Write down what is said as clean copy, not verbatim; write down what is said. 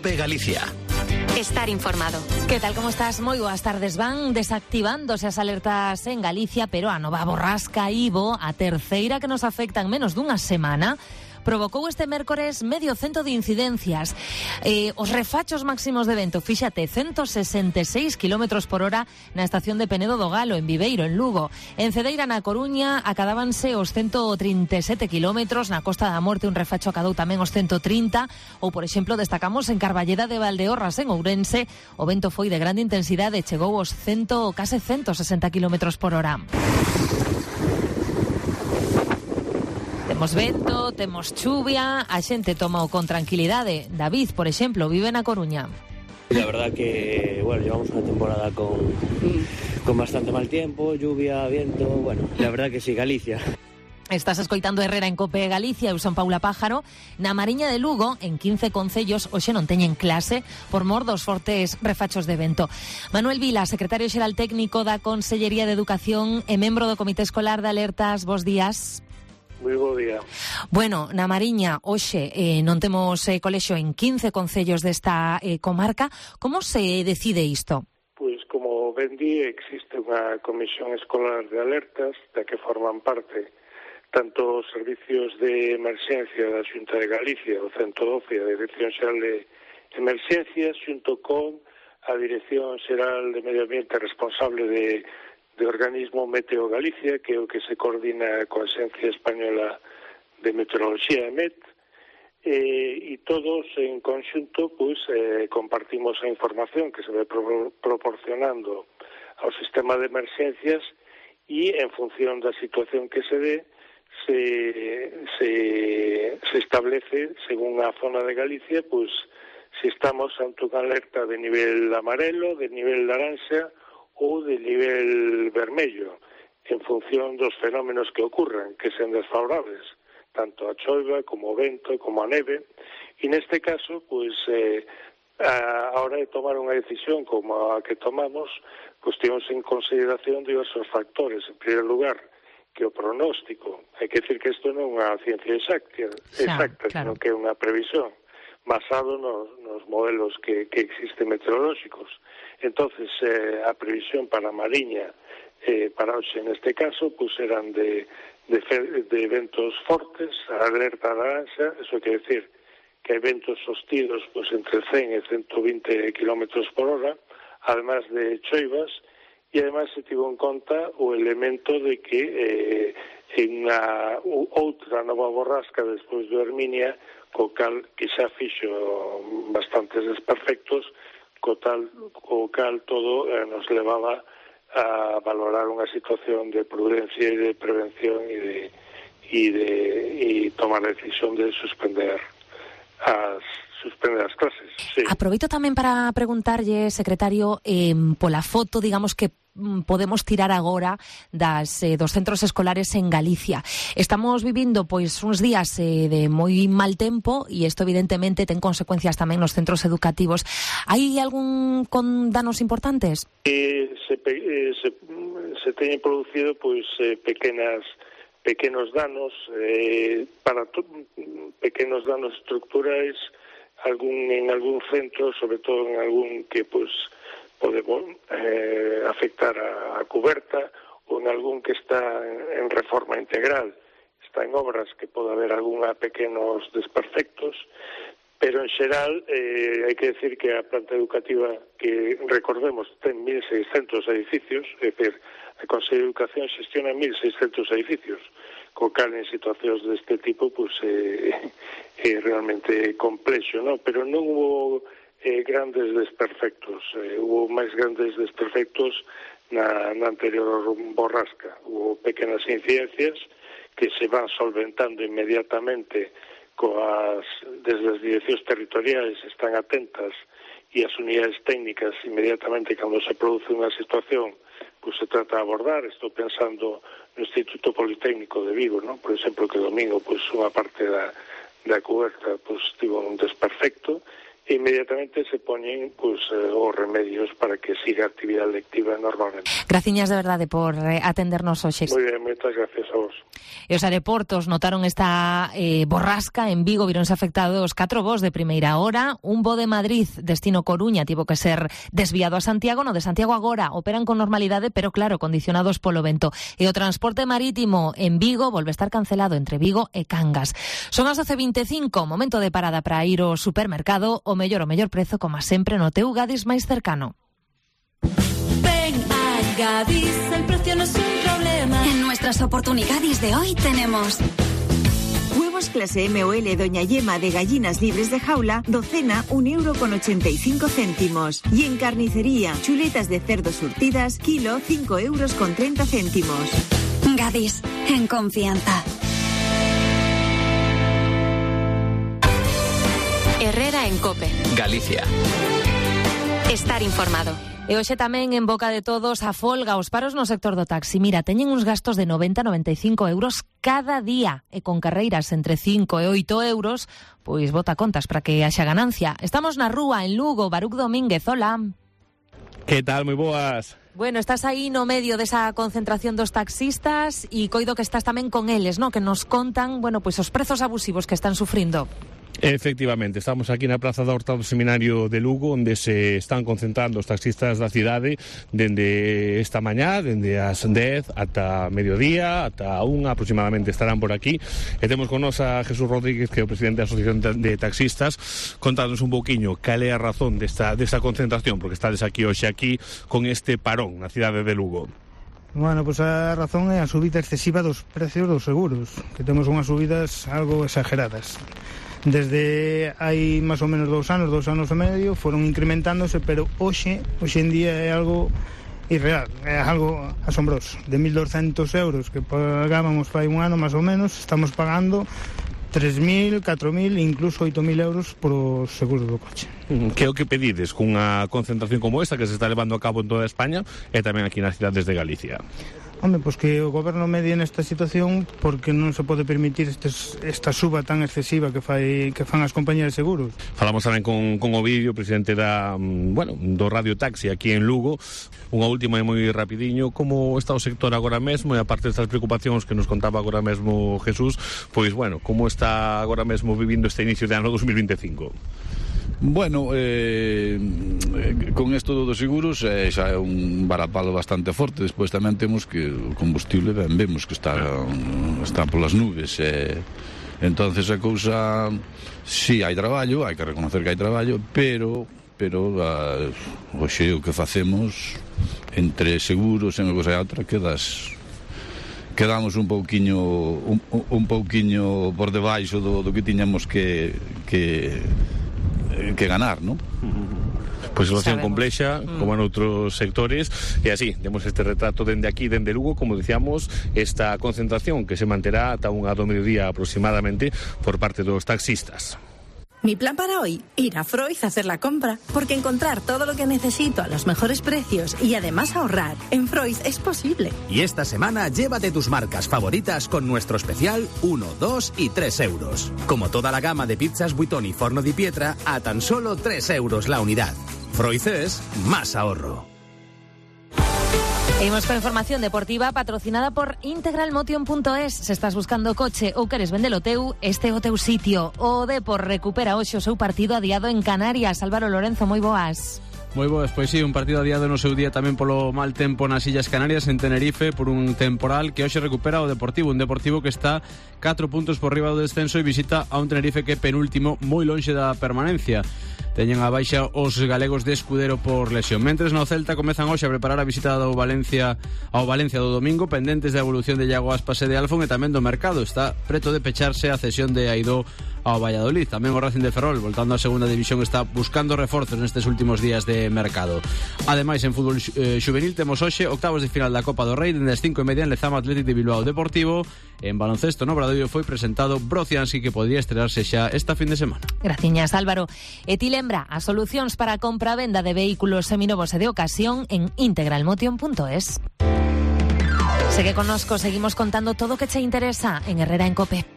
COPE Galicia. Estar informado. Que tal, como estás? Moi boas tardes. Van desactivándose as alertas en Galicia, pero a nova borrasca Ivo, a terceira que nos afecta en menos dunha semana, provocou este mércores medio cento de incidencias. Os refachos máximos de vento, fíxate, 166 km por hora na estación de Penedo do Galo, en Viveiro, en Lugo. En Cedeira, na Coruña, acadábanse os 137 km, na Costa da Morte un refacho acadou tamén os 130, ou, por exemplo, destacamos en Carballeda de Valdeorras, en Ourense, o vento foi de grande intensidade, chegou aos case 160 km por hora. Temos vento, temos chuvia, a xente toma con tranquilidade. David, por exemplo, vive na Coruña. La verdad que, bueno, llevamos una temporada con bastante mal tiempo, lluvia, viento, bueno, la verdad que sí, Galicia. Estás escoitando Herrera en COPE Galicia, eu son Paula Pájaro. Na Mariña de Lugo, en 15 concellos, hoxe non teñen clase por mor dos fortes refachos de vento. Manuel Vila, secretario xeral técnico da Consellería de Educación e membro do Comité Escolar de Alertas, bos días. Moi bo día. Bueno, na Mariña, hoxe non temos colexio en 15 concellos desta comarca. Como se decide isto? Pois, como ben di, existe unha comisión escolar de alertas da que forman parte tanto os servicios de emerxencia da Xunta de Galicia, o 112, a Dirección Xeral de Emerxencias, xunto con a Dirección Xeral de Medio Ambiente responsable de organismo Meteo Galicia, que é o que se coordina coa Axencia Española de Meteoroloxía, EMET, e todos en conxunto pois, compartimos a información que se vai proporcionando ao sistema de emerxencias e en función da situación que se dé se establece según a zona de Galicia pois se estamos ante unha alerta de nivel amarelo, de nivel laranxa ou de nivel vermello, en función dos fenómenos que ocurran, que sean desfavorables, tanto a choiva, como o vento, como a neve. E neste caso, pois, a hora de tomar unha decisión como a que tomamos, pois temos en consideración diversos factores. En primeiro lugar, que o pronóstico, hai que decir que isto non é unha ciencia exacta, claro, sino que é unha previsión basado nos modelos que existen meteorolóxicos. Entonces, a previsión para a Mariña, para hoxe neste caso, pues eran de ventos fortes, a alerta laranxa, eso quer decir que hai ventos sostidos pues, entre 100 e 120 km por hora, además de choivas, e además se tivo en conta o elemento de que en outra nova borrasca despois do Herminia, co cal que xa fixo bastantes desperfectos, co cal todo nos levaba a valorar unha situación de prudencia e de prevención e tomar a decisión de suspender as clases. Sí. Aproveito tamén para preguntarlle, secretario, pola foto, digamos, que podemos tirar agora dos centros escolares en Galicia. Estamos vivindo pois uns días de moi mal tempo e isto evidentemente ten consecuencias tamén nos centros educativos. Hai algún con danos importantes? Se teñen producido pois pequenos danos pequenos danos estructurais en algún centro, sobre todo en algún que pois pode afectar a cuberta ou en algún que está en reforma integral, está en obras que pode haber algunha pequenos desperfectos, pero en xeral hai que decir que a planta educativa que recordemos ten 1.600 edificios, é dicir, a Consello de Educación xestiona 1.600 edificios, co cal en situacións deste tipo pues, é realmente complexo, ¿no? Pero non hubo grandes desperfectos, hubo máis grandes desperfectos na anterior borrasca. Hubo pequenas incidencias que se van solventando inmediatamente desde as direccións territoriais están atentas e as unidades técnicas inmediatamente cando se produce unha situación pues se trata de abordar. Estou pensando no Instituto Politécnico de Vigo, ¿no? Por exemplo, que domingo pues unha parte da coberta pues tivo un desperfecto inmediatamente se poñen os remedios para que siga a actividade lectiva normalmente. Graciñas de verdade por atendernos hoxe. Moi ben, moitas gracias a vos. E os aeroportos notaron esta borrasca. En Vigo vironse afectados 4 voos de primeira hora. Un voo de Madrid, destino Coruña, tivo que ser desviado a Santiago. No de Santiago agora operan con normalidade, pero claro, condicionados polo vento. E o transporte marítimo en Vigo volve a estar cancelado entre Vigo e Cangas. Son as 12:25, momento de parada para ir ao supermercado. O mellor prezo, como sempre, no teu Gadis máis cercano. Ven a Gadis, el precio no es un problema. En nuestras oportunidades de hoy tenemos huevos clase MOL Doña Yema de gallinas libres de jaula, docena 1,85 €. Y en carnicería, chuletas de cerdo surtidas, kilo 5,30 €. Gadis, en confianza. Herrera en COPE. Galicia. Estar informado. E hoxe tamén en boca de todos a folga, os paros no sector do taxi. Mira, teñen uns gastos de 90-95 euros cada día e con carreiras entre 5 e 8 euros, pois bota contas para que haxa ganancia. Estamos na rúa en Lugo, Baruc Domínguez, hola. Que tal, moi boas. Bueno, estás aí no medio desa concentración dos taxistas e coido que estás tamén con eles, ¿no? Que nos contan, bueno, pois os prezos abusivos que están sufrindo. Efectivamente, estamos aquí na Praza da Horta do Seminario de Lugo, onde se están concentrando os taxistas da cidade dende esta mañá, dende as 10 ata mediodía, ata 1 aproximadamente estarán por aquí. E temos con nos a Jesús Rodríguez, que é o presidente da Asociación de Taxistas, contándonos un pouquiño cal é a razón desta concentración, porque estades aquí hoxe aquí con este parón na cidade de Lugo. Bueno, pois a razón é a subida excesiva dos precios dos seguros, que temos unhas subidas algo exageradas. Desde hai máis ou menos 2 anos e medio, foron incrementándose, pero hoxe en día é algo irreal, é algo asombroso. De 1.200 euros que pagábamos fai un ano máis ou menos, estamos pagando 3.000, 4.000, incluso 8.000 euros por os seguros do coche. Que é o que pedides cunha concentración como esta que se está levando a cabo en toda España e tamén aquí nas cidades de Galicia? Home, pois que o goberno medie nesta situación, porque non se pode permitir esta suba tan excesiva que fan as compañías de seguros. Falamos tamén con Ovidio, presidente do Radio Taxi aquí en Lugo. Unha última e moi rapidiño, como está o sector agora mesmo, e aparte destas preocupacións que nos contaba agora mesmo Jesús, pois bueno, como está agora mesmo vivindo este inicio de ano 2025? Bueno, con isto dos seguros xa é un varapalo bastante forte. Despois tamén temos que o combustible vemos que está polas nubes, entonces a cousa, si hai traballo, hai que reconocer que hai traballo, pero hoxe o que facemos entre seguros e unha cousa e outra quedamos un pouquiño por debaixo do que tiñamos que ganar, ¿no? Pois situación complexa, como en outros sectores, e así, temos este retrato dende aquí, dende Lugo, como dicíamos, esta concentración que se manterá ata 1 do mediodía aproximadamente por parte dos taxistas. Mi plan para hoy, ir a Freud a hacer la compra, porque encontrar todo lo que necesito a los mejores precios y además ahorrar en Freud es posible. Y esta semana llévate tus marcas favoritas con nuestro especial 1, 2 y 3 euros. Como toda la gama de pizzas Buitoni Forno di Pietra a tan solo 3 euros la unidad. Freud es más ahorro. Seguimos con información deportiva patrocinada por integralmotion.es. Se estás buscando coche ou queres vendelo teu, este é o teu sitio. O Depor recupera hoxe o seu partido adiado en Canarias. Álvaro Lorenzo, moi boas. Moi boas, pois sí, un partido adiado no seu día tamén polo mal tempo nas Illas Canarias, en Tenerife, por un temporal que hoxe recupera o Deportivo, un Deportivo que está 4 puntos por riba do descenso e visita a un Tenerife que é penúltimo, moi lonxe da permanencia. Teñen a baixa os galegos de Escudero por lesión. Mentres no Celta comezan hoxe a preparar a visita ao Valencia do domingo, pendentes da evolución de Iago Aspas e de Alfon e tamén do mercado. Está preto de pecharse a cesión de Aidó ao Valladolid. Tamén o Racing de Ferrol, voltando á segunda división, está buscando reforzos nestes últimos días de mercado. Ademais, en fútbol xuvenil temos hoxe octavos de final da Copa do Rei, dende as 5:30 en Lezama Athletic de Bilbao Deportivo. En baloncesto no Obradoiro foi presentado Brocianski, que podría estrenarse xa esta fin de semana. Graciñas, Álvaro. E ti lembra as solucións para a compra-venda de vehículos seminovos e de ocasión en integralmotion.es. Segue connosco, seguimos contando todo o que che interesa en Herrera en COPE.